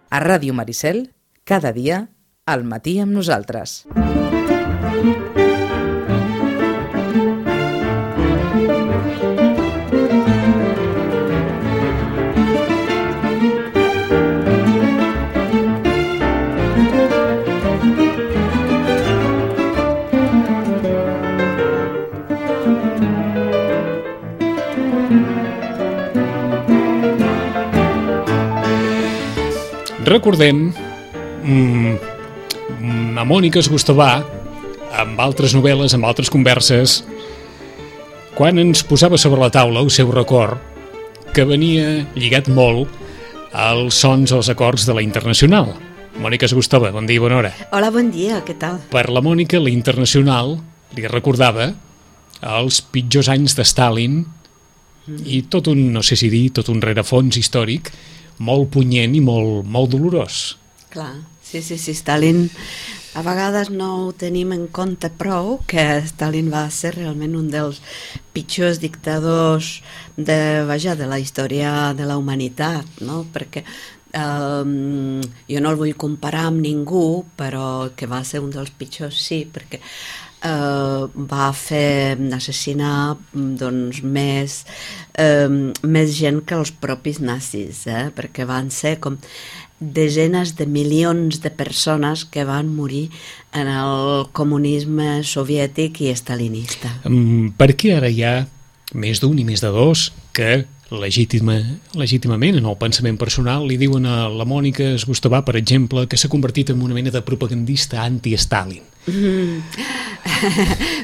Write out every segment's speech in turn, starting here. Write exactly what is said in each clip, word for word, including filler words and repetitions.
A Ràdio Maricel, cada dia, al matí amb nosaltres. Recordem mmm, a Mònica Esgustavà, amb altres novel·les, amb altres converses, quan ens posava sobre la taula el seu record, que venia lligat molt als sons, als acords de la Internacional. Mònica Esgustavà, bon dia i bona hora. Hola, bon dia, què tal? Per la Mònica, la Internacional li recordava els pitjors anys de Stalin mm. i tot un, no sé si dir, tot un rerefons històric molt punyent i molt, molt dolorós. Clar, sí, sí, sí, Stalin, a vegades no ho tenim en compte prou, que Stalin va ser realment un dels pitjors dictadors de, vaja, de la història de la humanitat, no? Perquè um, jo no el vull comparar amb ningú, però que va ser un dels pitjors, sí, perquè Uh, va fer assassinar doncs, més, uh, més gent que els propis nazis, eh? Perquè van ser com desenes de milions de persones que van morir en el comunisme soviètic i stalinista. Um, per què ara hi ha més d'un i més de dos que legítima, legítimament en el pensament personal li diuen a la Mònica Esgustavà, per exemple, que s'ha convertit en una mena de propagandista anti-Stalin? Mm.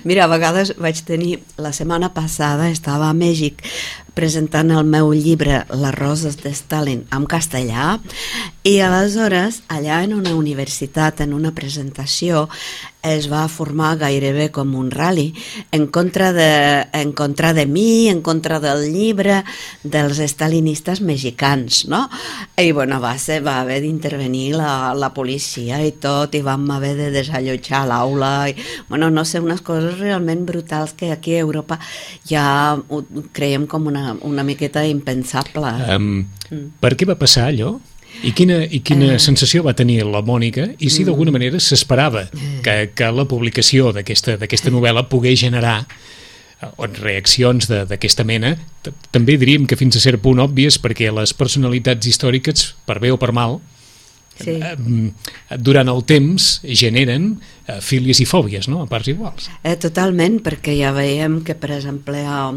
Mira, a vegades vaig tenir, la setmana passada estava a Mèxic presentant el meu llibre Les roses de Stalin en castellà i aleshores allà en una universitat, en una presentació, es va formar gairebé com un rally en contra de, en contra de mi, en contra del llibre dels stalinistes mexicans, no? I bueno, va, ser, va haver d'intervenir la, la policia i tot, i vam haver de desallotjar l'aula, i bueno, no sé, unes coses realment brutals que aquí a Europa ja ho creiem com una, una miqueta impensable. Um, mm. Per què va passar allò? I quina, i quina eh. sensació va tenir la Mònica i si d'alguna manera s'esperava que, que la publicació d'aquesta d'aquesta novel·la pogués generar reaccions d'aquesta mena, també diríem que fins a cert punt òbvies, perquè les personalitats històriques, per bé o per mal, sí. durant el temps generen fílies i fòbies, no? A parts iguals. Eh, totalment, perquè ja veiem que, per exemple, a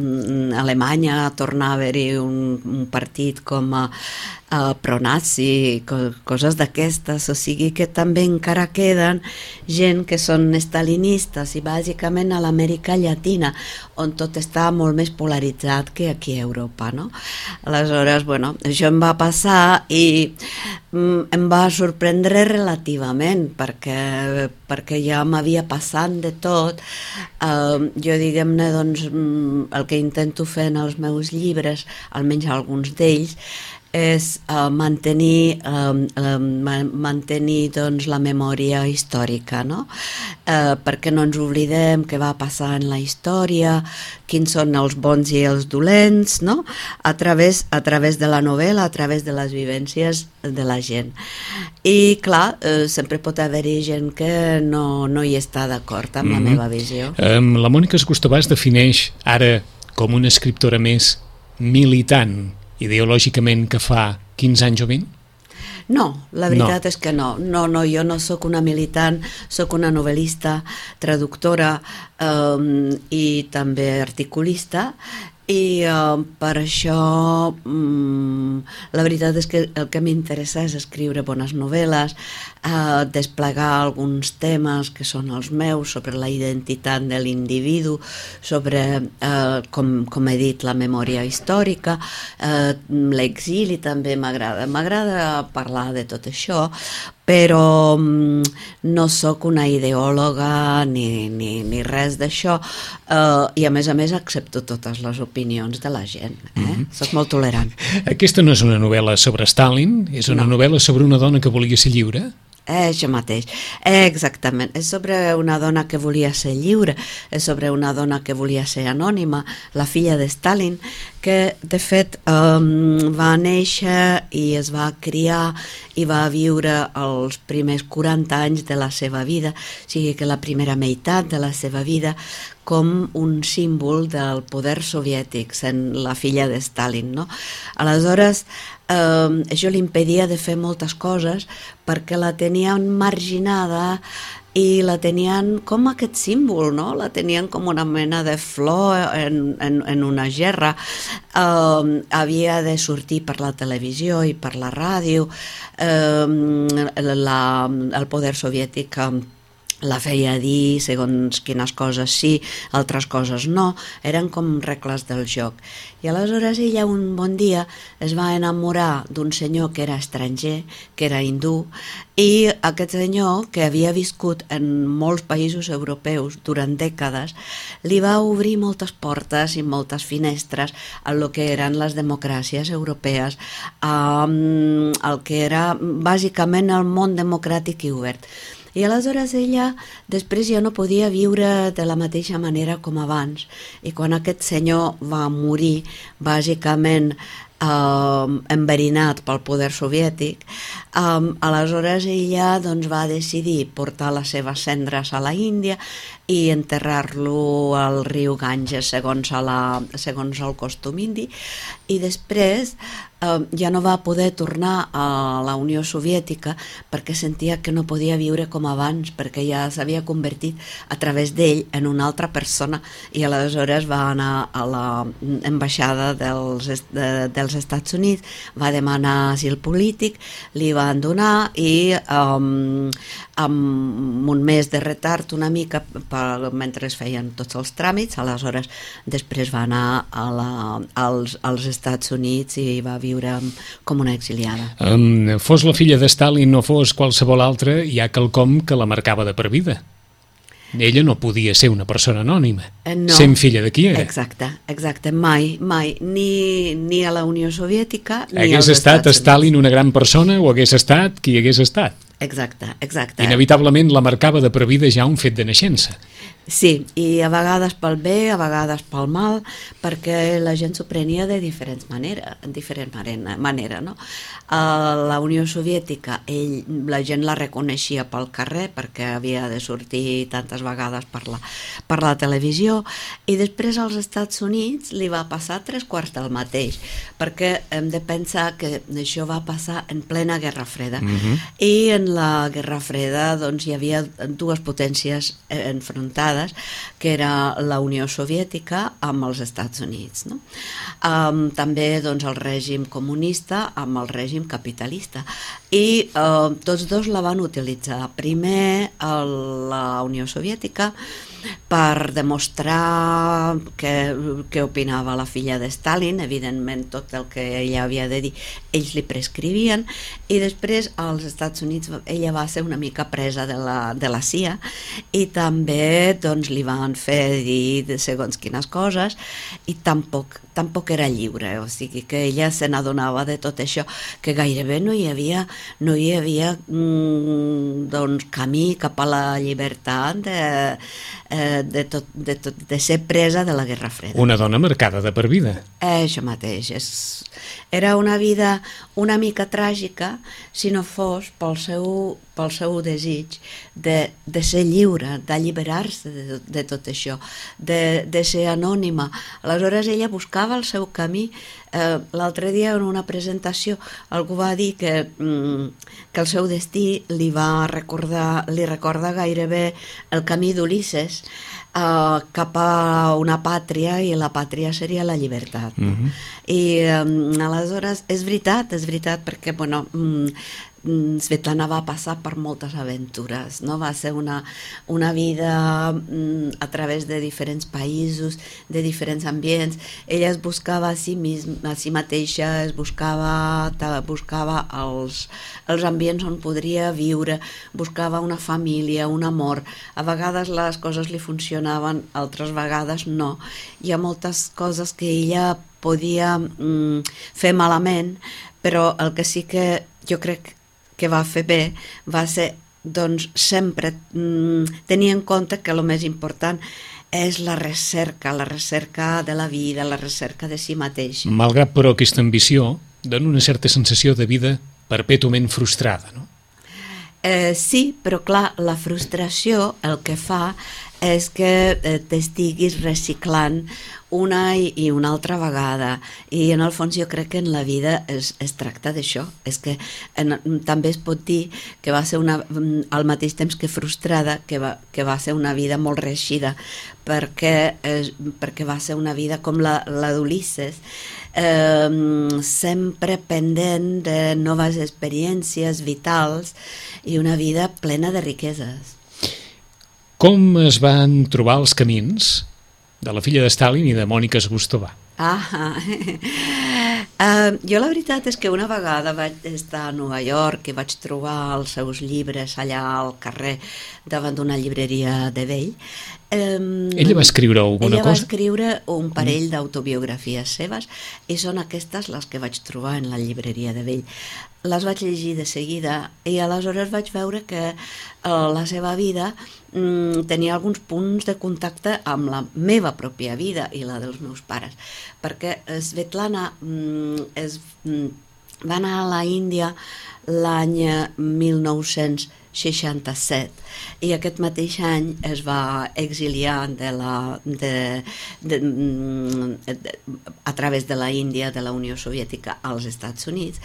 Alemanya torna a haver-hi un, un partit com a, a pro-nazi, co coses d'aquestes, o sigui que també encara queden gent que són stalinistes i bàsicament a l'Amèrica Llatina, on tot està molt més polaritzat que aquí a Europa, no? Aleshores, bueno, això em va passar i mm, em va sorprendre relativament, perquè, perquè ja m'havia passat de tot. Uh, jo, diguem-ne, doncs, el que intento fer en els meus llibres, almenys alguns d'ells, és uh, mantenir, uh, uh, mantenir doncs, la memòria històrica, no? Uh, perquè no ens oblidem què va passar en la història, quins són els bons i els dolents, no? A través, a través de la novel·la, a través de les vivències de la gent. I clar, uh, sempre pot haver-hi gent que no, no hi està d'acord amb mm-hmm. la meva visió. Um, la Mònica Esgustavà es defineix ara com una escriptora més militant ideològicament que fa quinze anys o vint? No, la veritat no. és que no. No, no, jo no sóc una militant, sóc una novel·lista, traductora eh, i també articulista, i uh, per això um, la veritat és que el que m'interessa és escriure bones novel·les, uh, desplegar alguns temes que són els meus sobre la identitat de l'individu, sobre, uh, com, com he dit, la memòria històrica, uh, l'exili també m'agrada. M'agrada parlar de tot això, però um, no sóc una ideòloga ni, ni, ni res d'això, uh, i a més a més accepto totes les opinions de la gent, eh? Mm-hmm. Soc molt tolerant. Aquesta no és una novel·la sobre Stalin, és una no. novel·la sobre una dona que volia ser lliure? Eh, això mateix, eh, exactament. És sobre una dona que volia ser lliure, és sobre una dona que volia ser anònima, la filla de Stalin, perquè de fet um, va néixer i es va criar i va viure els primers quaranta anys de la seva vida, o sigui que la primera meitat de la seva vida com un símbol del poder soviètic, sent la filla de Stalin, no? Aleshores, eh, això li impedia de fer moltes coses perquè la tenien marginada i la tenien com aquest símbol, no? La tenien com una mena de flor en, en, en una gerra. Uh, havia de sortir per la televisió i per la ràdio. Uh, la, el poder soviètic uh, la feia dir segons quines coses sí, altres coses no, eren com regles del joc. I aleshores ella un bon dia es va enamorar d'un senyor que era estranger, que era hindú, i aquest senyor, que havia viscut en molts països europeus durant dècades, li va obrir moltes portes i moltes finestres a lo que eren les democràcies europees, um, el que era bàsicament el món democràtic i obert. I aleshores ella després ja no podia viure de la mateixa manera com abans, i quan aquest senyor va morir bàsicament eh, enverinat pel poder soviètic, eh, aleshores ella doncs, va decidir portar les seves cendres a la Índia i enterrar-lo al riu Ganges segons, a la, segons el costum indi, i després Uh, ja no va poder tornar a la Unió Soviètica perquè sentia que no podia viure com abans, perquè ja s'havia convertit a través d'ell en una altra persona, i aleshores va anar a l'ambaixada dels, de, dels Estats Units, va demanar asil polític, li van donar i um, amb un mes de retard una mica per, mentre es feien tots els tràmits, aleshores després va anar a la, als, als Estats Units i va viure com una exiliada. Um, fos la filla de Stalin o fos qualsevol altra, hi ha quelcom que la marcava de per vida. Ella no podia ser una persona anònima, no, sent filla de qui era. Exacte, exacte, mai, mai, ni, ni a la Unió Soviètica ni hagués als estat Estats Stalin Units. una gran persona o hagués estat qui hagués estat. Exacte, exacte. Inevitablement la marcava de per vida ja un fet de naixença. Sí, i a vegades pel bé, a vegades pel mal, perquè la gent s'ho prenia de diferents maneres, en diferent manera, no? A la Unió Soviètica ell, la gent la reconeixia pel carrer perquè havia de sortir tantes vegades per la, per la televisió, i després als Estats Units li va passar tres quarts del mateix, perquè hem de pensar que això va passar en plena Guerra Freda, Uh-huh. i en la Guerra Freda doncs, hi havia dues potències enfrontades, que era la Unió Soviètica amb els Estats Units, no? Um, també doncs, el règim comunista amb el règim capitalista, i uh, tots dos la van utilitzar. Primer el, la Unió Soviètica per demostrar què, què opinava la filla de Stalin, evidentment tot el que ella havia de dir ells li prescrivien, i després als Estats Units ella va ser una mica presa de la, de la C I A, i també doncs, li van fer dir de segons quines coses, i tampoc, tampoc era lliure, o sigui que ella se n'adonava de tot això, que gairebé no hi havia, no hi havia mm, doncs, camí cap a la llibertat de, eh, de, tot, de, tot, de ser presa de la Guerra Freda. Una dona marcada de per vida. Eh, això mateix, és, era una vida una mica tràgica si no fos pel seu, pel seu desig de, de ser lliure, d'alliberar-se de, de tot això, de, de ser anònima. Aleshores ella buscava el seu camí. Eh, l'altre dia en una presentació algú va dir que, mm, que el seu destí li va recordar, li recorda gairebé el camí d'Ulisses, Uh, cap a una pàtria, i la pàtria seria la llibertat, no? Uh-huh. I um, aleshores és veritat, és veritat perquè bueno, um, Svetlana va passar per moltes aventures, no? Va ser una, una vida um, a través de diferents països, de diferents ambients. Ella es buscava a si, misma, a si mateixa, es buscava, buscava els, els ambients on podria viure, buscava una família, un amor. A vegades les coses li funcionaven, altres vegades no. Hi ha moltes coses que ella podia mm, fer malament, però el que sí que jo crec que va fer bé va ser doncs, sempre mm, tenir en compte que el més important és la recerca, la recerca de la vida, la recerca de si mateix. Malgrat, però, aquesta ambició dona una certa sensació de vida perpètuament frustrada, no? Eh, sí, però clar, la frustració el que fa és que eh, t'estiguis reciclant una i, i una altra vegada, i en el fons jo crec que en la vida es, es tracta d'això, és que en, també es pot dir que va ser una, al mateix temps que frustrada, que va, que va ser una vida molt reeixida, perquè, eh, perquè va ser una vida com la, la d'Ulisses, eh, sempre pendent de noves experiències vitals i una vida plena de riqueses. Com es van trobar els camins de la filla de Stalin i de Mònica Zgustova? Ah, uh, jo la veritat és que una vegada vaig estar a Nova York i vaig trobar els seus llibres allà al carrer davant d'una llibreria de vell. Um, ella va escriure alguna ella cosa? Ella va escriure un parell mm. d'autobiografies seves i són aquestes les que vaig trobar en la llibreria de vell. Les vaig llegir de seguida i aleshores vaig veure que uh, la seva vida mm, tenia alguns punts de contacte amb la meva pròpia vida i la dels meus pares, perquè Svetlana mm, es, mm, va anar a la Índia l'any mil nou-cents seixanta-set i aquest mateix any es va exiliar de la, de, de, de, a través de la Índia, de la Unió Soviètica als Estats Units,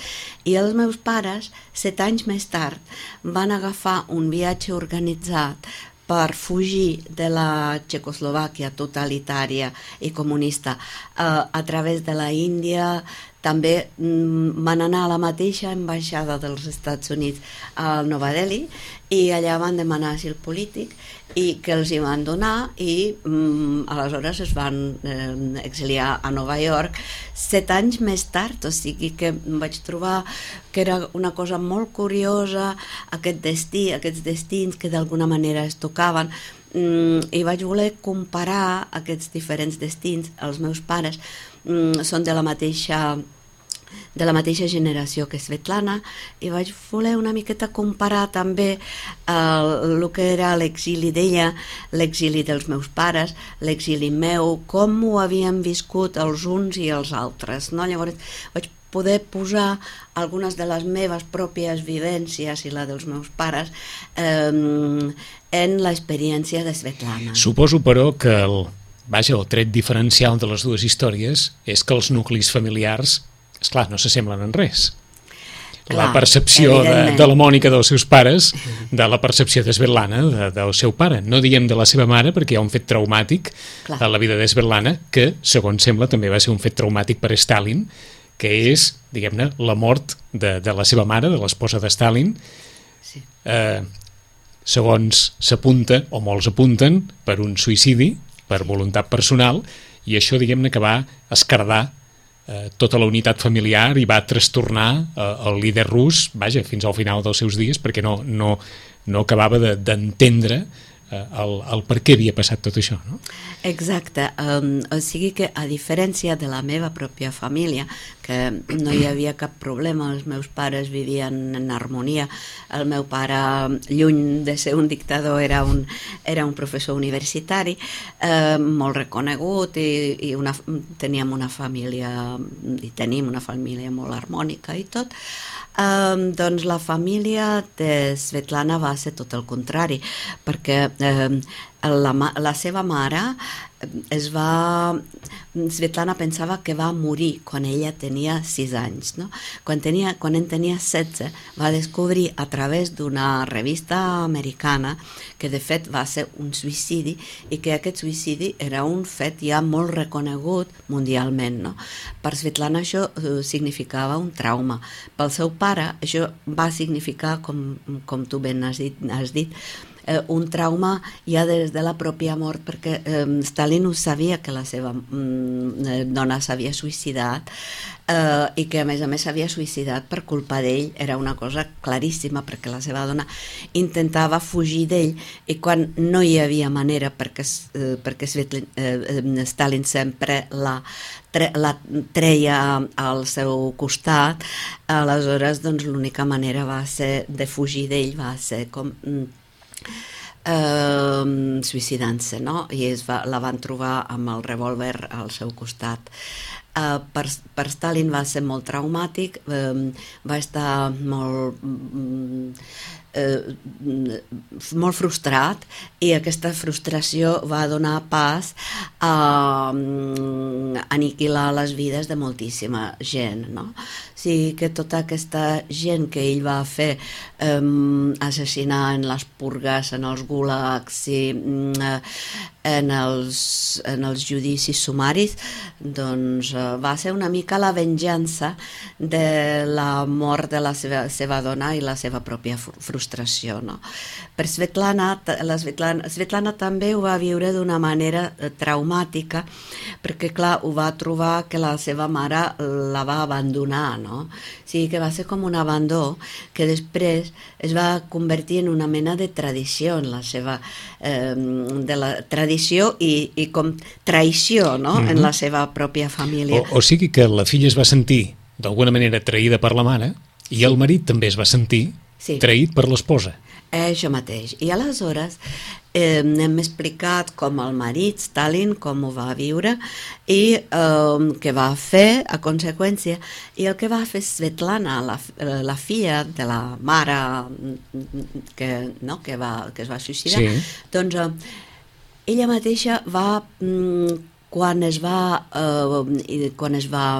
i els meus pares, set anys més tard, van agafar un viatge organitzat per fugir de la Txecoslovàquia totalitària i comunista eh, a través de la Índia. També mm, van anar a la mateixa ambaixada dels Estats Units a Nova Delhi i allà van demanar asil polític i que els hi van donar i mm, aleshores es van eh, exiliar a Nova York set anys més tard, o sigui que vaig trobar que era una cosa molt curiosa aquest destí, aquests destins que d'alguna manera es tocaven, mm, i vaig voler comparar aquests diferents destins. Els meus pares mm, són de la mateixa de la mateixa generació que Svetlana i vaig voler una miqueta comparar també el uh, que era l'exili d'ella, l'exili dels meus pares, l'exili meu, com ho havien viscut els uns i els altres, no? Llavors vaig poder posar algunes de les meves pròpies vivències i la dels meus pares eh, en l'experiència de Svetlana. Suposo, però, que el, vaja, el tret diferencial de les dues històries és que els nuclis familiars, esclar, no s'assemblen en res. Clar, la percepció de, de la Mònica dels seus pares, de la percepció de Svetlana de, del seu pare. No diem de la seva mare perquè hi ha un fet traumàtic Clar. a la vida de Svetlana que, segons sembla, també va ser un fet traumàtic per Stalin, que és, diguem-ne, la mort de, de la seva mare, de l'esposa de Stalin, sí. eh, segons s'apunta, o molts apunten, per un suïcidi, per voluntat personal, i això, diguem-ne, que va escardar eh, tota la unitat familiar i va trastornar eh, el líder rus, vaja, fins al final dels seus dies, perquè no, no, no acabava d'entendre de, El, el per què havia passat tot això, no? Exacte, um, o sigui que a diferència de la meva pròpia família, que no hi havia cap problema, els meus pares vivien en harmonia, el meu pare, lluny de ser un dictador, era un, era un professor universitari, eh, molt reconegut i, i una, teníem una família, i tenim una família molt harmònica i tot. Um, doncs la família de Svetlana va ser tot el contrari, perquè um, la, la seva mare es va... Svetlana pensava que va morir quan ella tenia sis anys, no? Quan, tenia, quan en tenia setze va descobrir a través d'una revista americana que de fet va ser un suïcidi i que aquest suïcidi era un fet ja molt reconegut mundialment, no? Per Svetlana això uh, significava un trauma. Pel seu pare això va significar, com, com tu ben has dit, has dit Eh, un trauma ja des de la pròpia mort, perquè eh, Stalin ho sabia que la seva mm, dona s'havia suïcidat eh, i que a més a més s'havia suïcidat per culpa d'ell. Era una cosa claríssima, perquè la seva dona intentava fugir d'ell i quan no hi havia manera, perquè, eh, perquè Svetlin, eh, Stalin sempre la tre, la treia al seu costat, aleshores doncs l'única manera va ser de fugir d'ell, va ser com eh, suïcidant-se, no? I es va, la van trobar amb el revòlver al seu costat. Uh, per, per Stalin va ser molt traumàtic, uh, va estar molt, uh, molt frustrat, i aquesta frustració va donar pas a um, aniquilar les vides de moltíssima gent, no? O sigui que tota aquesta gent que ell va fer um, assassinar en les purgues, en els gulags i uh, en els, en els judicis sumaris, doncs uh, va ser una mica la venjança de la mort de la seva, seva dona i la seva pròpia frustració, no? Per Svetlana, la Svetlana, Svetlana també ho va viure d'una manera traumàtica, perquè clar, ho va trobar que la seva mare la va abandonar, no? O sigui que va ser com un abandó que després es va convertir en una mena de tradició en la seva eh, de la tradició i, i com traïció, no? Mm-hmm. En la seva pròpia família. O, o sigui que la filla es va sentir d'alguna manera traïda per la mare i sí. El marit també es va sentir sí. Traït per l'esposa. Això mateix. I aleshores eh, hem explicat com el marit, Stalin, com ho va viure i eh, què va fer a conseqüència, i el que va fer Svetlana, la, la filla de la mare que, no, que, va, que es va suïcidar, sí. Doncs eh, ella mateixa va... Mm, quan es va eh, quan es va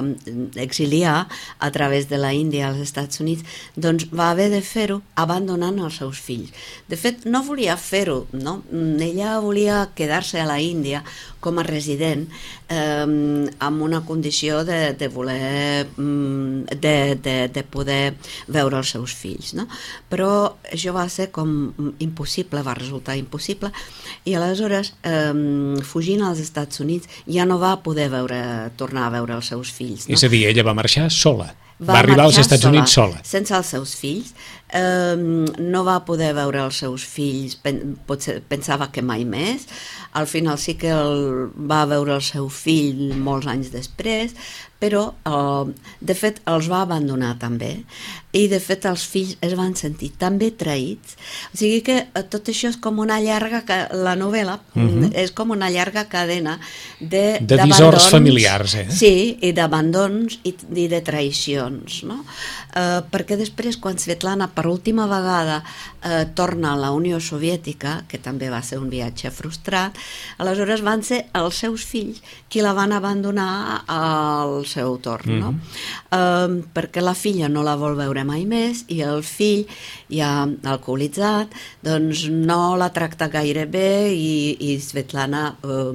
exiliar a través de la Índia als Estats Units, doncs va haver de fer-ho abandonant els seus fills. De fet, no volia fer-ho, no? Ella volia quedar-se a la Índia com a resident eh, amb una condició de, de voler de, de, de poder veure els seus fills, no? Però això va ser com impossible, va resultar impossible, i aleshores eh, fugint als Estats Units ja no va poder veure, tornar a veure els seus fills, no? És a dir, ella va marxar sola. Va, va arribar als Estats sola, Units sola. Sense els seus fills. Eh, no va poder veure els seus fills, pen, potser, pensava que mai més. Al final sí que el, va veure el seu fill molts anys després, però eh, de fet els va abandonar també, i de fet els fills es van sentir tan bé traïts, o sigui que tot això és com una llarga, la novel·la uh-huh. és com una llarga cadena de, de dissorts familiars, eh? Sí, i d'abandons i, i de traïcions, no? Eh, perquè després quan Svetlana per última vegada eh, torna a la Unió Soviètica, que també va ser un viatge frustrat, aleshores van ser els seus fills qui la van abandonar al seu torn, no? Mm-hmm. Eh, perquè la filla no la vol veure mai més i el fill, ja alcoholitzat, doncs no la tracta gaire bé i, i Svetlana, eh,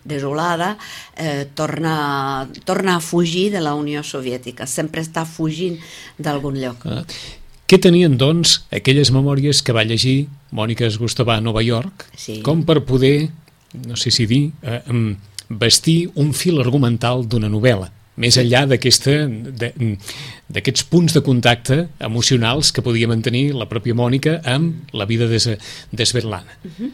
desolada, eh, torna, torna a fugir de la Unió Soviètica, sempre està fugint d'algun lloc. Ah. Què tenien, doncs, aquelles memòries que va llegir Mònica Esgustavà a Nova York, sí. Com per poder, no sé si dir, eh, vestir un fil argumental d'una novel·la, més enllà d'aquests punts de contacte emocionals que podia mantenir la pròpia Mònica amb la vida de, de Svetlana. Uh-huh.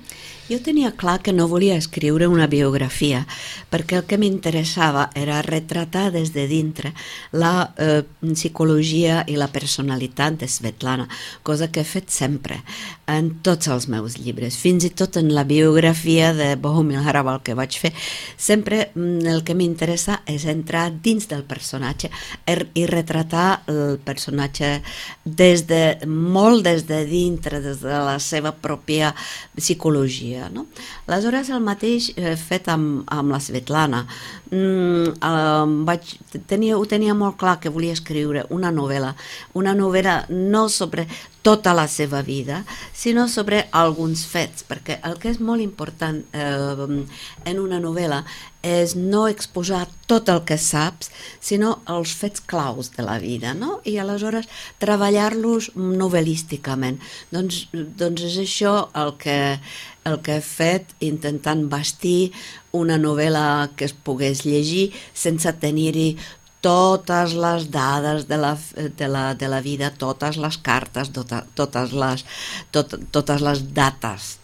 Jo tenia clar que no volia escriure una biografia, perquè el que m'interessava era retratar des de dintre la eh, psicologia i la personalitat de Svetlana, cosa que he fet sempre en tots els meus llibres, fins i tot en la biografia de Bohumil Hrabal que vaig fer. Sempre el que m'interessa és entrar dins del personatge i retratar el personatge des de, molt des de dintre, des de la seva pròpia psicologia. No? Aleshores, el mateix he fet amb, amb la Svetlana. Mm, eh, vaig, tenia, ho tenia molt clar que volia escriure una novel·la, una novel·la no sobre tota la seva vida, sinó sobre alguns fets, perquè el que és molt important eh, en una novel·la és no exposar tot el que saps, sinó els fets claus de la vida, no? I aleshores treballar-los novel·lísticament. Doncs, doncs és això el que, el que he fet, intentant bastir una novel·la que es pogués llegir sense tenir-hi totes les dades de la, de la, de la vida, totes les cartes, tota, totes, les, tot, totes les dates.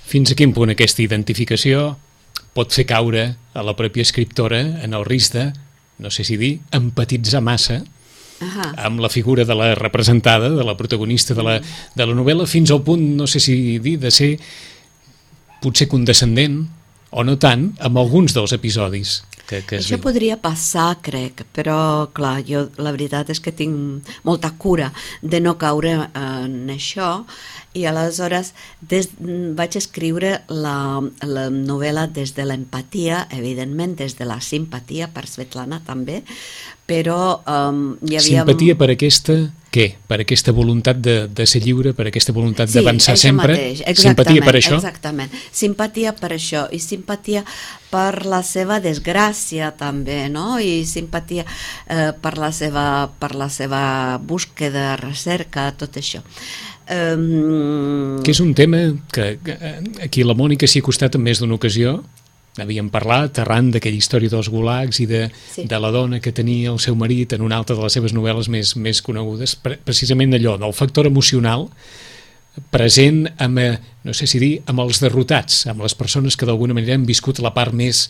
Fins a quin punt aquesta identificació pot fer caure a la pròpia escriptora en el risc de, no sé si dir, empatitzar massa Ahà. amb la figura de la representada, de la protagonista de la, de la novel·la, fins al punt, no sé si dir, de ser potser condescendent, o no tant, amb alguns dels episodis que, que es Això viuen. podria passar, crec, però, clar, jo la veritat és que tinc molta cura de no caure en això, i aleshores des, vaig escriure la, la novel·la des de l'empatia, evidentment, des de la simpatia per Svetlana també, però um, hi havia... Simpatia per aquesta, què? Per aquesta voluntat de, de ser lliure, per aquesta voluntat Sí, d'avançar això sempre? mateix, Simpatia per això? Exactament, simpatia per això, i simpatia per la seva desgràcia també, no? I simpatia eh, per, la seva, per la seva búsqueda, recerca, tot això. Um... Que és un tema que, que aquí la Mònica s'hi ha costat en més d'una ocasió. Havíem parlat arran d'aquella història dels gulags i de, Sí. de la dona que tenia el seu marit en una altra de les seves novel·les més, més conegudes, pre precisament allò, del factor emocional present amb, eh, no sé si dir, amb els derrotats, amb les persones que d'alguna manera han viscut la part més,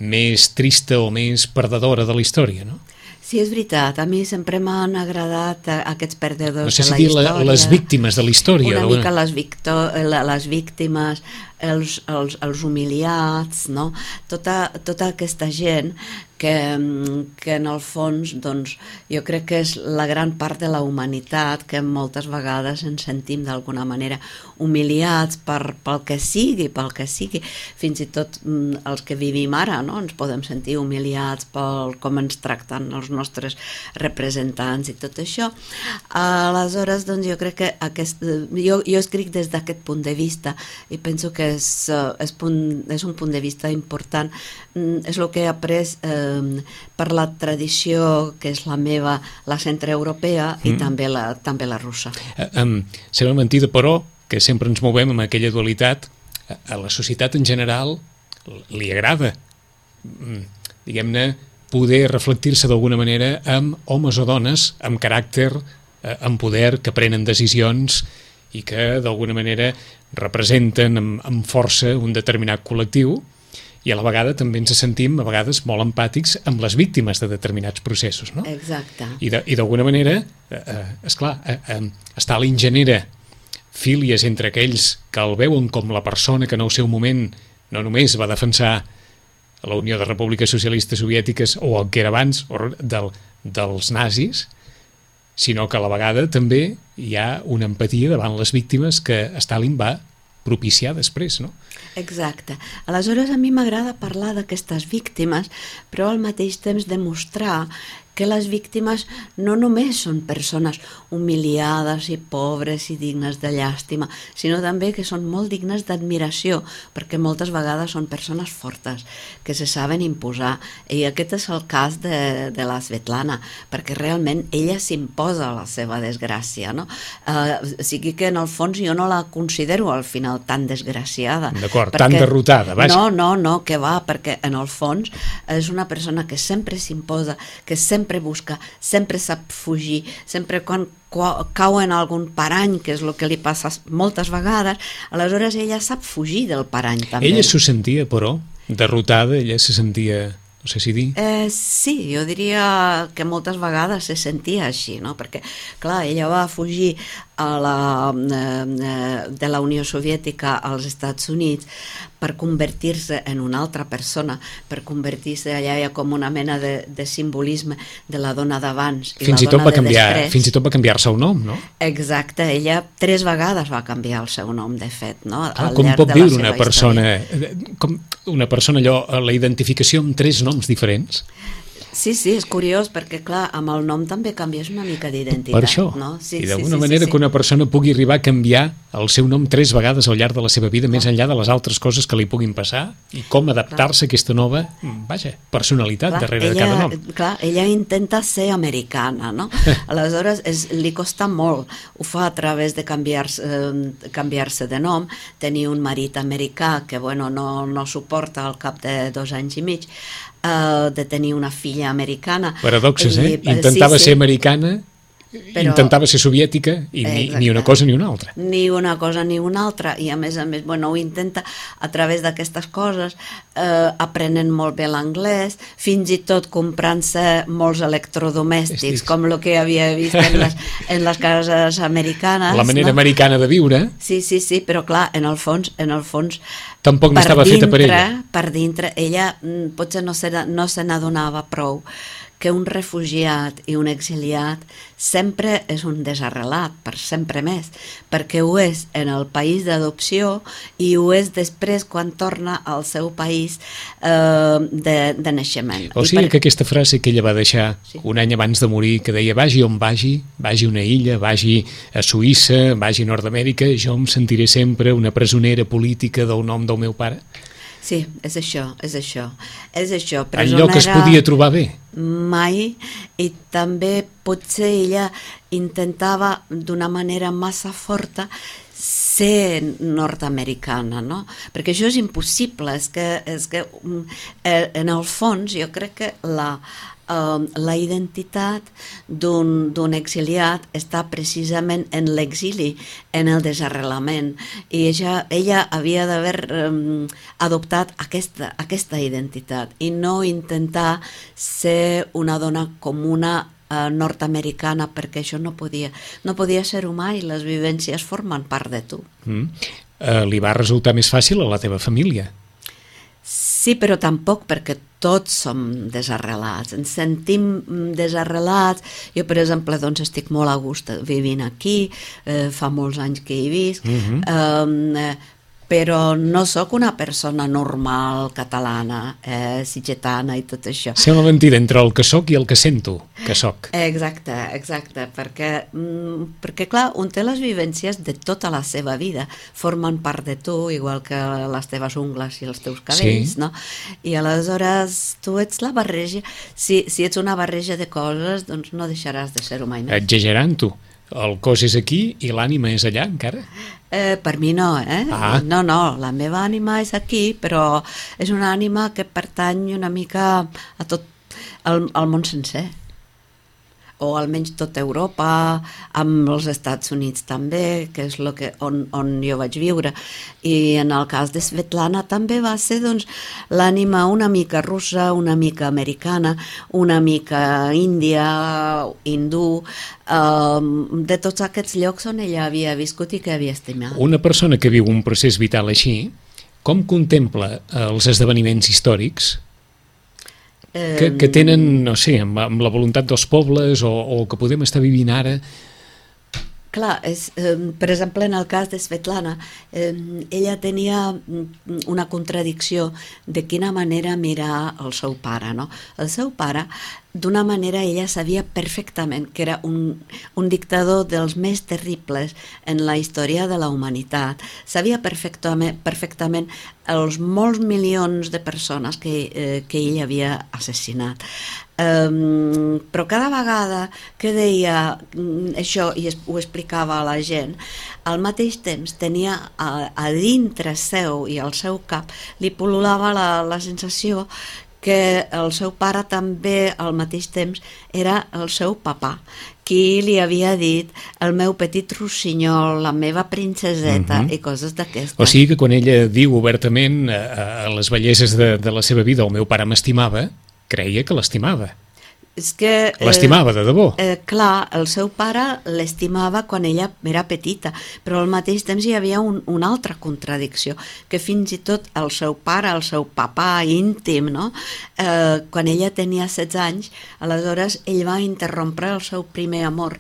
més trista o més perdedora de la història, no? Sí, és veritat, a mi sempre m'han agradat eh, aquests perdedors No sé de si la dir història. la, les víctimes de la història. Una d'alguna- mica les, victo la- les víctimes, els, els, els humiliats, no? Tota, tota aquesta gent que, que en el fons, doncs, jo crec que és la gran part de la humanitat, que moltes vegades ens sentim d'alguna manera humiliats per, pel que sigui, pel que sigui, fins i tot mm, els que vivim ara, no? Ens podem sentir humiliats pel com ens tracten els nostres representants i tot això. Aleshores, doncs, jo crec que aquest, jo, jo escric des d'aquest punt de vista i penso que és, eh, és, punt, és un punt de vista important. Mm, és el que he après eh, per la tradició que és la meva, la centreeuropea i Mm. també, la, també la russa. Eh, um, sembla mentida, però, que sempre ens movem amb aquella dualitat, a, a la societat en general li agrada, mm, diguem-ne, poder reflectir-se d'alguna manera amb homes o dones amb caràcter, eh, amb poder, que prenen decisions i que d'alguna manera representen amb, amb força un determinat col·lectiu, i a la vegada també ens sentim a vegades molt empàtics amb les víctimes de determinats processos, no? Exacte. I de- i d'alguna manera, eh, eh, esclar, eh, eh, Stalin genera fílies entre aquells que el veuen com la persona que en el seu moment no només va defensar la Unió de Repúbliques Socialistes Soviètiques o el que era abans o del, dels nazis, sinó que a la vegada també hi ha una empatia davant les víctimes que Stalin va propiciar després, no? Exacte. Aleshores, a mi m'agrada parlar d'aquestes víctimes, però al mateix temps demostrar que les víctimes no només són persones humiliades i pobres i dignes de llàstima, sinó també que són molt dignes d'admiració, perquè moltes vegades són persones fortes, que se saben imposar. I aquest és el cas de, de la Svetlana, perquè realment ella s'imposa la seva desgràcia, no? Eh, o sigui que en el fons jo no la considero al final tan desgraciada. D'acord, tan derrotada, vaja. No, no, no, que va, perquè en el fons és una persona que sempre s'imposa, que sempre busca, sempre sap fugir, sempre quan cau en algun parany, que és el que li passa moltes vegades, aleshores ella sap fugir del parany també. Ella s'ho sentia, però, derrotada, ella se sentia, no sé si dir... Eh, sí, jo diria que moltes vegades se sentia així, no? Perquè, clar, ella va fugir a la, eh, de la Unió Soviètica als Estats Units per convertir-se en una altra persona, per convertir-se allà ja com una mena de, de simbolisme de la dona d'abans i Fins la i tot dona va de canviar, després. fins i tot va canviar-se el nom, no? Exacte, ella tres vegades va canviar el seu nom, de fet, no? Clar, Al com llarg pot de la viure seva una persona, com una persona allò, la identificació amb tres noms diferents? Sí, sí, és curiós, perquè clar, amb el nom també canvies una mica d'identitat. Per això, no? Sí, i sí, d'alguna sí, manera sí, que una persona pugui arribar a canviar el seu nom tres vegades al llarg de la seva vida, més enllà de les altres coses que li puguin passar, i com adaptar-se a aquesta nova, vaja, personalitat clar, darrere ella, de cada nom. Clar, ella intenta ser americana, no? Aleshores és, li costa molt, ho fa a través de canviar-se eh, canviar-se de nom, tenir un marit americà que bueno, no, no suporta al cap de dos anys i mig, Uh, de tenir una filla americana. Paradoxes, eh? I, Intentava sí, sí. ser americana Però, intentava ser soviètica i ni, ni una cosa ni una altra. Ni una cosa ni una altra, i a més a més, bueno, ho intenta a través d'aquestes coses, eh, aprenent molt bé l'anglès, fins i tot comprant-se molts electrodomèstics, Estic. com el que havia vist en les, en les cases americanes. La manera no? americana de viure. Sí, sí, sí, però clar, en el fons, en el fons tampoc no estava dintre, feta per ella. Per dintre, ella mm, potser no se, no se n'adonava prou que un refugiat i un exiliat sempre és un desarrelat, per sempre més, perquè ho és en el país d'adopció i ho és després quan torna al seu país eh, de, de naixement. O sigui per... que aquesta frase que ella va deixar sí. un any abans de morir, que deia vagi on vagi, vagi a una illa, vagi a Suïssa, vagi a Nord-Amèrica, jo em sentiré sempre una presonera política del nom del meu pare. Sí, és això, és això. És això, presonera... En lloc que es podia trobar bé. Mai, i també potser ella intentava d'una manera massa forta ser nord-americana, no? Perquè això és impossible, és que, és que en el fons jo crec que la, uh, la identitat d'un exiliat està precisament en l'exili, en el desarrelament, i ella, ella havia d'haver um, adoptat aquesta, aquesta identitat i no intentar ser una dona comuna nord-americana, perquè això no podia, no podia ser humà i les vivències formen part de tu. Mm. Uh, li va resultar més fàcil a la teva família? Sí, però tampoc, perquè tots som desarrelats, ens sentim desarrelats. Jo, per exemple, doncs estic molt a gust vivint aquí, eh, fa molts anys que hi visc, mm-hmm. eh, però no sóc una persona normal catalana, eh, sitgetana i tot això. Sembla mentida entre el que sóc i el que sento que sóc. Exacte, exacte, perquè, mm, perquè clar, un té les vivències de tota la seva vida, formen part de tu, igual que les teves ungles i els teus cabells, sí. No? I aleshores tu ets la barreja, si, si ets una barreja de coses, doncs no deixaràs de ser humà i més. Exagerant-ho. El cos és aquí i l'ànima és allà, encara? Eh, per mi no, eh? Ah. No, no, la meva ànima és aquí, però és una ànima que pertany una mica a tot el, al món sencer. O almenys tota Europa, amb els Estats Units també, que és lo que, on, on jo vaig viure. I en el cas de Svetlana també va ser doncs, l'ànima una mica russa, una mica americana, una mica índia, hindú, eh, de tots aquests llocs on ella havia viscut i que havia estimat. Una persona que viu un procés vital així, com contempla els esdeveniments històrics que, que tenen, no sé, amb, amb la voluntat dels pobles o, o que podem estar vivint ara? Clar, és, eh, per exemple, en el cas de Svetlana, eh, ella tenia una contradicció de quina manera mirar el seu pare, no? El seu pare, d'una manera, ella sabia perfectament que era un, un dictador dels més terribles en la història de la humanitat. Sabia perfectament, perfectament els molts milions de persones que, eh, que ell havia assassinat. Um, però cada vegada que deia um, això i es, ho explicava a la gent, al mateix temps tenia a, a dintre seu i al seu cap li pol·lulava la, la sensació que el seu pare també al mateix temps era el seu papà, qui li havia dit el meu petit rossinyol, la meva princeseta, uh-huh. i coses d'aquestes. O sigui que quan ella diu obertament a, a les belleses de, de la seva vida el meu pare m'estimava, creia que l'estimava. És que, l'estimava de debò. Eh, clar, el seu pare l'estimava quan ella era petita, però al mateix temps hi havia un, una altra contradicció, que fins i tot el seu pare, el seu papà íntim, no? eh, quan ella tenia setze anys, aleshores ell va interrompre el seu primer amor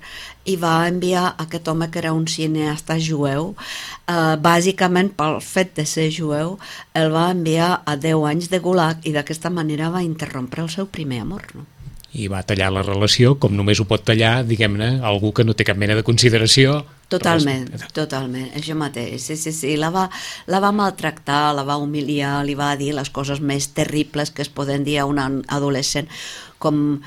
i va enviar aquest home que era un cineasta jueu, eh, bàsicament pel fet de ser jueu, el va enviar a deu anys de gulag i d'aquesta manera va interrompre el seu primer amor, no? I va tallar la relació com només ho pot tallar, diguem-ne, algú que no té cap mena de consideració. Totalment, però... totalment, això mateix. Sí, sí, sí, la va, la va maltractar, la va humiliar, li va dir les coses més terribles que es poden dir a un adolescent, com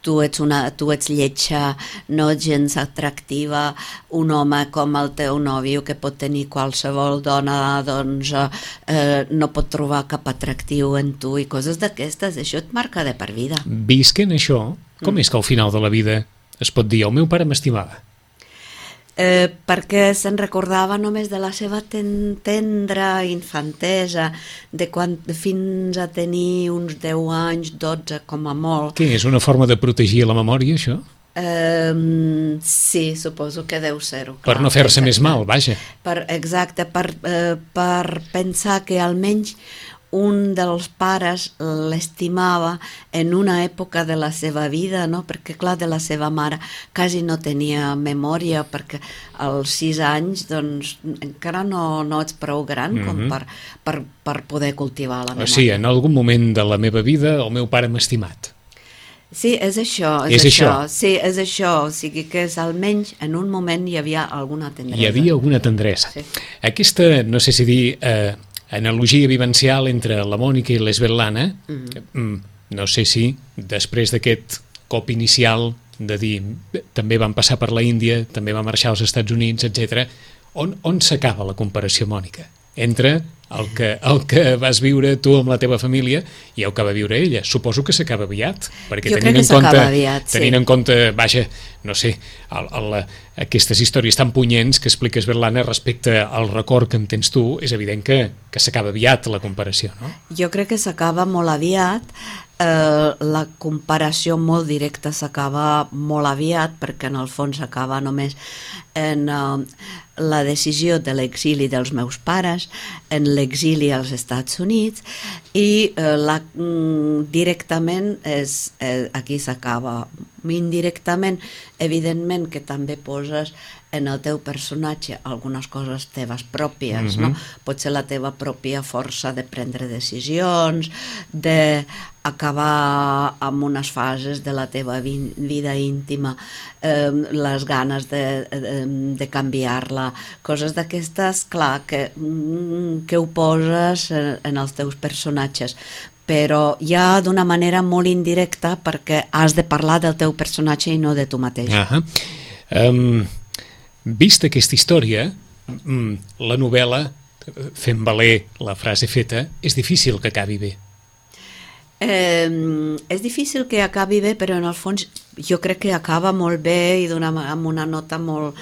tu ets, una, tu ets lletja, no gens atractiva, un home com el teu nòvio que pot tenir qualsevol dona, doncs eh, no pot trobar cap atractiu en tu i coses d'aquestes, això et marca de per vida. Visquen això, com mm. és que al final de la vida es pot dir, el meu pare m'estimava? Eh, perquè se'n recordava només de la seva ten tendra infantesa, de quan fins a tenir uns deu anys, dotze com a molt. Què, és una forma de protegir la memòria, això? Eh, sí, suposo que deu ser-ho. Per no fer-se més mal, vaja. Per, exacte, per, eh, per pensar que almenys un dels pares l'estimava en una època de la seva vida, no? Perquè clar, de la seva mare quasi no tenia memòria, perquè als sis anys doncs encara no, no ets prou gran com mm-hmm. per, per, per poder cultivar la memòria. O sigui, en algun moment de la meva vida el meu pare m'ha estimat. Sí, és això, és, és això. això. Sí, és això, o sigui que és, almenys en un moment hi havia alguna tendresa. Hi havia alguna tendresa. Sí. Aquesta, no sé si dir, eh, analogia vivencial entre la Mònica i l'Svetlana, mm-hmm. no sé si després d'aquest cop inicial de dir també van passar per la Índia, també van marxar als Estats Units, etcètera, on, on s'acaba la comparació, Mònica? Entre el que, el que vas viure tu amb la teva família i el que va viure ella. Suposo que s'acaba aviat, perquè jo tenint crec que en compte, aviat, sí. tenint en compte, vaja, no sé, el, el, aquestes històries tan punyents que expliques, Svetlana, respecte al record que en tens tu, és evident que, que s'acaba aviat la comparació, no? Jo crec que s'acaba molt aviat, eh, la comparació molt directa s'acaba molt aviat, perquè en el fons s'acaba només en eh, la decisió de l'exili dels meus pares, en l'exili als Estats Units, i eh, la, mm, directament és, eh, aquí s'acaba. Indirectament, evidentment que també poses en el teu personatge algunes coses teves pròpies, mm-hmm. no? Pot ser la teva pròpia força de prendre decisions, d'acabar amb unes fases de la teva vi vida íntima, eh, les ganes de, de, de canviar-la, coses d'aquestes, clar, que, que ho poses en, en els teus personatges, però ja d'una manera molt indirecta perquè has de parlar del teu personatge i no de tu mateix. Uh-huh. um, vista aquesta història, la novel·la, fent valer la frase feta, és difícil que acabi bé. Eh, és difícil que acabi bé, però en el fons jo crec que acaba molt bé i amb una nota molt,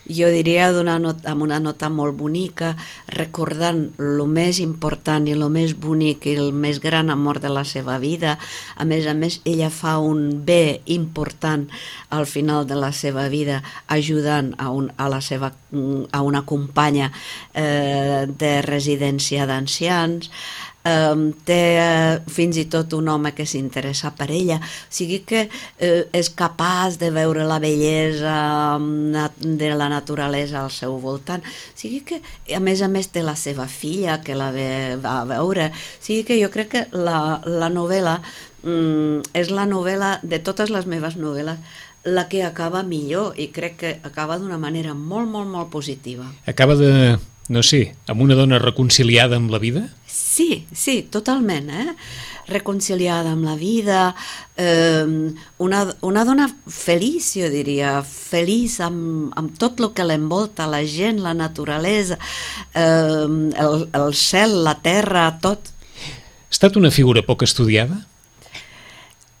jo diria nota, amb una nota molt bonica, recordant el més important i el més bonic i el més gran amor de la seva vida. A més a més, ella fa un bé important al final de la seva vida, ajudant a, un, a, la seva, a una companya eh, de residència d'ancians. Um, té uh, fins i tot un home que s'interessa per ella, o sigui que uh, és capaç de veure la bellesa um, de la naturalesa al seu voltant, o sigui que a més a més té la seva filla que la ve, va a veure, o sigui que jo crec que la, la novel·la um, és la novel·la de totes les meves novel·les la que acaba millor i crec que acaba d'una manera molt, molt, molt positiva. Acaba de, no sé, amb una dona reconciliada amb la vida? Sí, sí, totalment, eh? Reconciliada amb la vida, eh, una, una dona feliç, jo diria, feliç amb, amb tot el que l'envolta, la gent, la naturalesa, eh, el, el cel, la terra, tot. Ha estat una figura poc estudiada?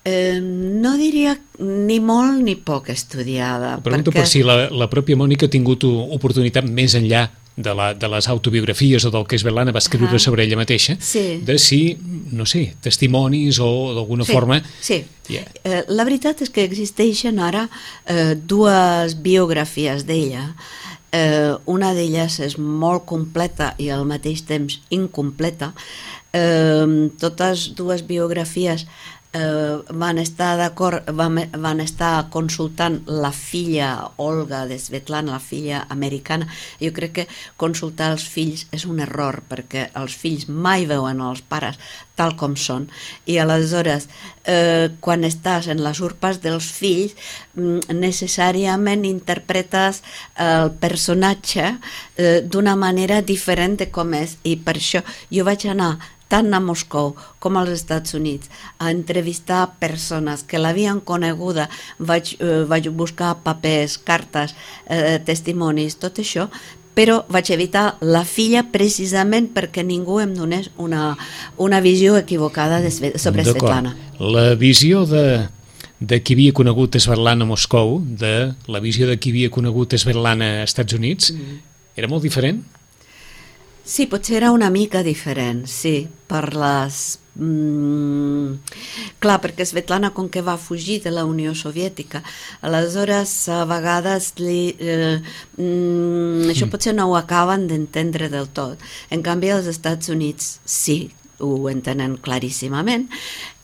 Eh, no diria ni molt ni poc estudiada. Pregunto perquè... per si la, la pròpia Mònica ha tingut oportunitat més enllà de, la, de les autobiografies o del que Svetlana va escriure uh -huh. sobre ella mateixa, sí. de si, no sé, testimonis o d'alguna sí, forma... Sí, yeah. eh, la veritat és que existeixen ara eh, dues biografies d'ella. Eh, una d'elles és molt completa i al mateix temps incompleta. Eh, totes dues biografies Uh, van estar d'acord, van, van estar consultant la filla Olga de Svetlana, la filla americana. Jo crec que consultar els fills és un error, perquè els fills mai veuen els pares tal com són, i aleshores eh, quan estàs en les urpes dels fills necessàriament interpretes el personatge eh, d'una manera diferent de com és, i per això jo vaig anar tant a Moscou com als Estats Units a entrevistar persones que l'havien coneguda, vaig, eh, vaig buscar papers, cartes, eh, testimonis, tot això, però vaig evitar la filla precisament perquè ningú em donés una, una visió equivocada de, sobre Svetlana. La visió de, de qui havia conegut Svetlana a Moscou, de la visió de qui havia conegut Svetlana als Estats Units, mm. era molt diferent? Sí, potser era una mica diferent, sí, per les... Mm, clar, perquè Svetlana, com que va fugir de la Unió Soviètica, aleshores a vegades li, eh, mm, això potser no ho acaben d'entendre del tot. En canvi, als Estats Units sí, ho entenen claríssimament,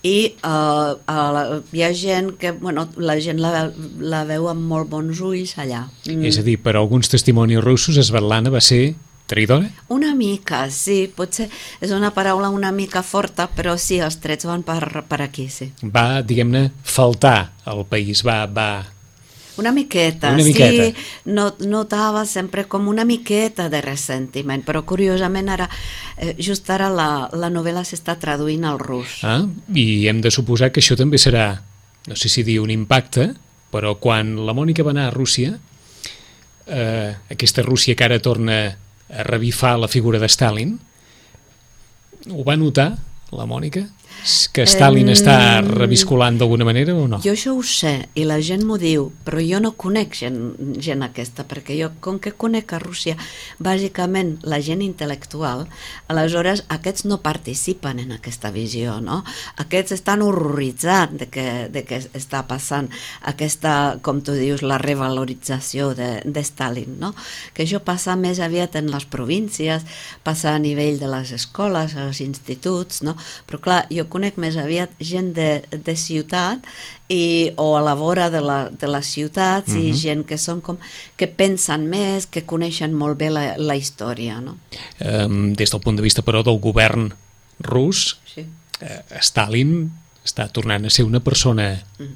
i uh, uh, hi ha gent que, bueno, la gent la, la veu amb molt bons ulls allà. Mm. És a dir, per alguns testimonis russos, Svetlana va ser traïdora? Una mica, sí, potser és una paraula una mica forta, però sí, els trets van per, per aquí, sí. Va, diguem-ne, faltar al país, va... va... Una miqueta, una miqueta. Sí, no, notava sempre com una miqueta de ressentiment, però curiosament ara, eh, just ara la, la novel·la s'està traduint al rus. Ah, i hem de suposar que això també serà, no sé si dir un impacte, però quan la Mònica va anar a Rússia, eh, aquesta Rússia que ara torna a revifar la figura de Stalin, ho va notar la Mònica? Que Stalin um, està reviscolant d'alguna manera o no? Jo això ho sé, i la gent m'ho diu, però jo no conec gent, gent aquesta, perquè jo, com que conec a Rússia, bàsicament la gent intel·lectual, aleshores aquests no participen en aquesta visió, no? Aquests estan horroritzats de què de que està passant aquesta, com tu dius, la revalorització de, de Stalin, no? Que això passa més aviat en les províncies, passa a nivell de les escoles, als instituts, no? Però clar, jo conec més aviat gent de, de ciutat i, o a la vora de, la, de les ciutats, mm-hmm. i gent que són com que pensen més, que coneixen molt bé la, la història, no? Um, des del punt de vista, però, del govern rus, sí. uh, Stalin està tornant a ser una persona, mm.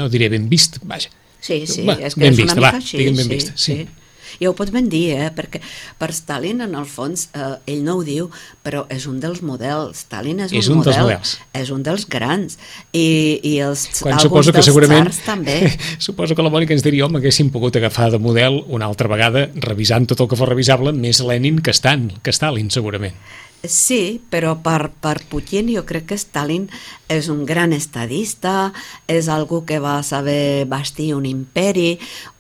no diré ben vist, vaja. Sí, sí, va, és que és vista, una va, mica així. Ben sí, vista, sí. sí. Ja ho pots ben dir, eh? Perquè per Stalin, en el fons, eh, ell no ho diu, però és un dels models. Stalin és un, és un model, dels models. És un dels grans. I, i els, Quan alguns dels segurament, tsars també. Suposo que la Mònica ens diria, home, haguéssim pogut agafar de model una altra vegada, revisant tot el que fos revisable, més Lenin que Stalin, que Stalin segurament. Sí, però per, per Putin jo crec que Stalin és un gran estadista, és algú que va saber bastir un imperi,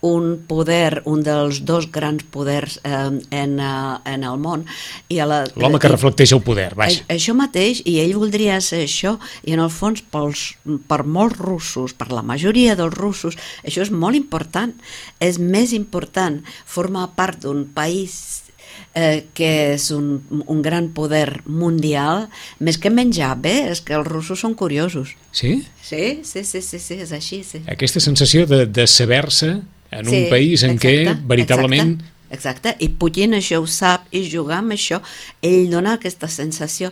un poder, un dels dos grans poders eh, en, uh, en el món. L'home que reflecteix el poder, vaja. Això mateix, i ell voldria ser això, i en el fons pels, per molts russos, per la majoria dels russos, això és molt important. És més important formar part d'un país Eh, que és un, un gran poder mundial, més que menjar bé, és que els russos són curiosos. Sí? Sí, sí, sí, sí, sí és així, sí. Aquesta sensació de, de saber-se en sí, un país en exacte, què veritablement... Exacte. Exacte, i Putin això ho sap, i jugar amb això, ell dona aquesta sensació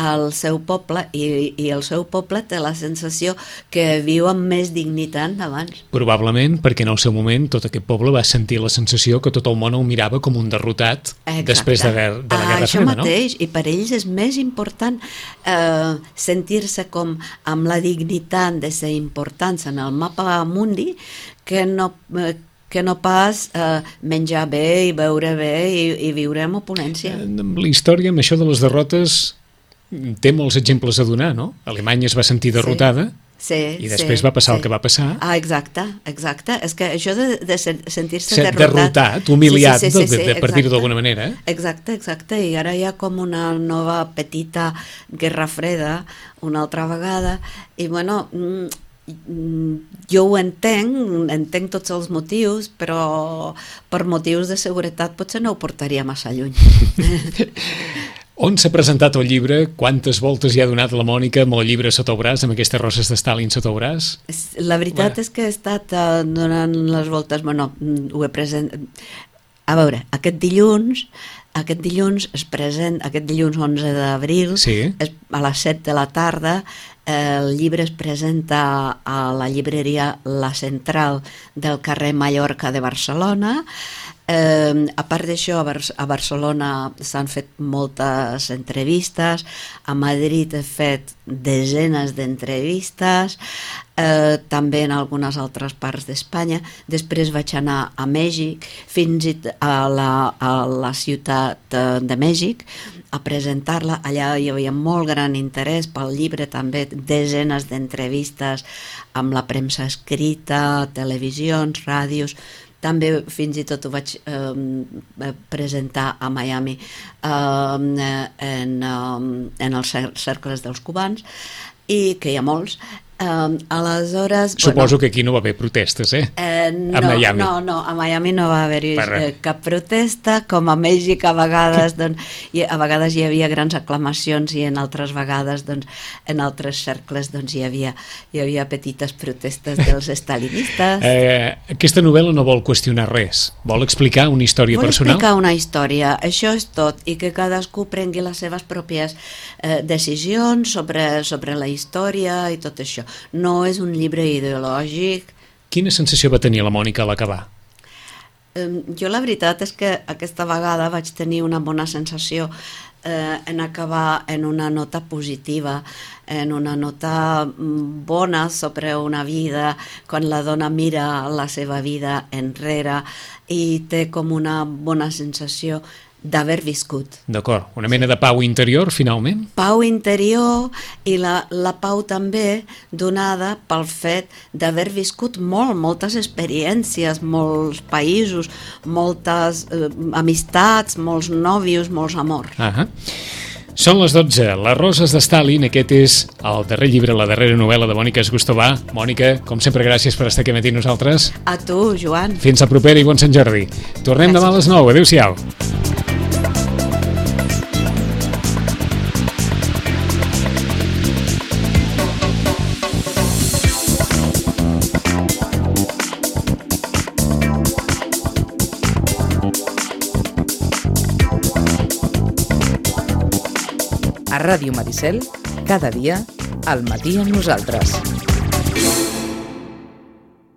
al seu poble, i, i el seu poble té la sensació que viu amb més dignitat d'abans. Probablement perquè en el seu moment tot aquest poble va sentir la sensació que tot el món el mirava com un derrotat. Exacte. Després de, de la Guerra ah, Freda, no? Això mateix, i per ells és més important eh, sentir-se com amb la dignitat de ser importants en el mapa mundi que no... Eh, que no pas eh, menjar bé i beure bé i, i viure amb opulència. La història, amb això de les derrotes, té molts exemples a donar, no? Alemanya es va sentir derrotada, sí, sí, i després sí, va passar sí. el que va passar. Ah, exacte, exacte. És que això de, de sentir-se Ser derrotat... derrotat, humiliat, sí, sí, sí, sí, de, de, per dir-ho d'alguna manera. Eh? Exacte, exacte. I ara hi ha com una nova petita guerra freda, una altra vegada, i bueno... jo ho entenc, entenc tots els motius, però per motius de seguretat potser no ho portaria massa lluny. On s'ha presentat el llibre? Quantes voltes hi ha donat la Mònica amb el llibre sota el braç, amb aquestes roses de Stalin sota el braç? La veritat bueno. és que he estat uh, donant les voltes, bueno, ho he present... A veure, aquest dilluns, aquest dilluns es present, aquest dilluns onze d'abril, sí. a les set de la tarda, el llibre es presenta a la llibreria La Central del carrer Mallorca de Barcelona. Eh, a part d'això, a, Bar a Barcelona s'han fet moltes entrevistes, a Madrid he fet desenes d'entrevistes, eh, també en algunes altres parts d'Espanya. Després vaig anar a Mèxic, fins i tot a la, a la ciutat de Mèxic, a presentar-la. Allà hi havia molt gran interès pel llibre, també desenes d'entrevistes amb la premsa escrita, televisions, ràdios. També fins i tot ho vaig eh, presentar a Miami eh, en, eh, en els cercles dels cubans, i que hi ha molts. Um, aleshores... Suposo bueno, que aquí no va haver protestes, eh? eh no, a Miami. No, no, a Miami no va haver-hi eh, cap protesta, com a Mèxic a vegades, doncs, i a vegades hi havia grans aclamacions i en altres vegades, doncs, en altres cercles, doncs, hi havia, hi havia petites protestes dels estalinistes. Eh, aquesta novel·la no vol qüestionar res, vol explicar una història vol personal? Vol explicar una història, això és tot, i que cadascú prengui les seves pròpies eh, decisions sobre, sobre la història i tot això. No és un llibre ideològic. Quina sensació va tenir la Mònica a l'acabar? Um, jo la veritat és que aquesta vegada vaig tenir una bona sensació eh, en acabar en una nota positiva, en una nota bona sobre una vida, quan la dona mira la seva vida enrere i té com una bona sensació d'haver viscut. D'acord, una mena de pau interior, finalment? Pau interior, i la, la pau també donada pel fet d'haver viscut molt, moltes experiències, molts països, moltes eh, amistats, molts nòvios, molts amors. Ahà. Són les dotze, Les roses de Stalin, aquest és el darrer llibre, la darrera novel·la de Mònica Esgustovà. Mònica, com sempre, gràcies per estar aquí amb nosaltres. A tu, Joan. Fins a propera i bon Sant Jordi. Tornem gràcies. Demà a les nou. Adéu-siau. A Ràdio Maricel, cada dia, al matí amb nosaltres.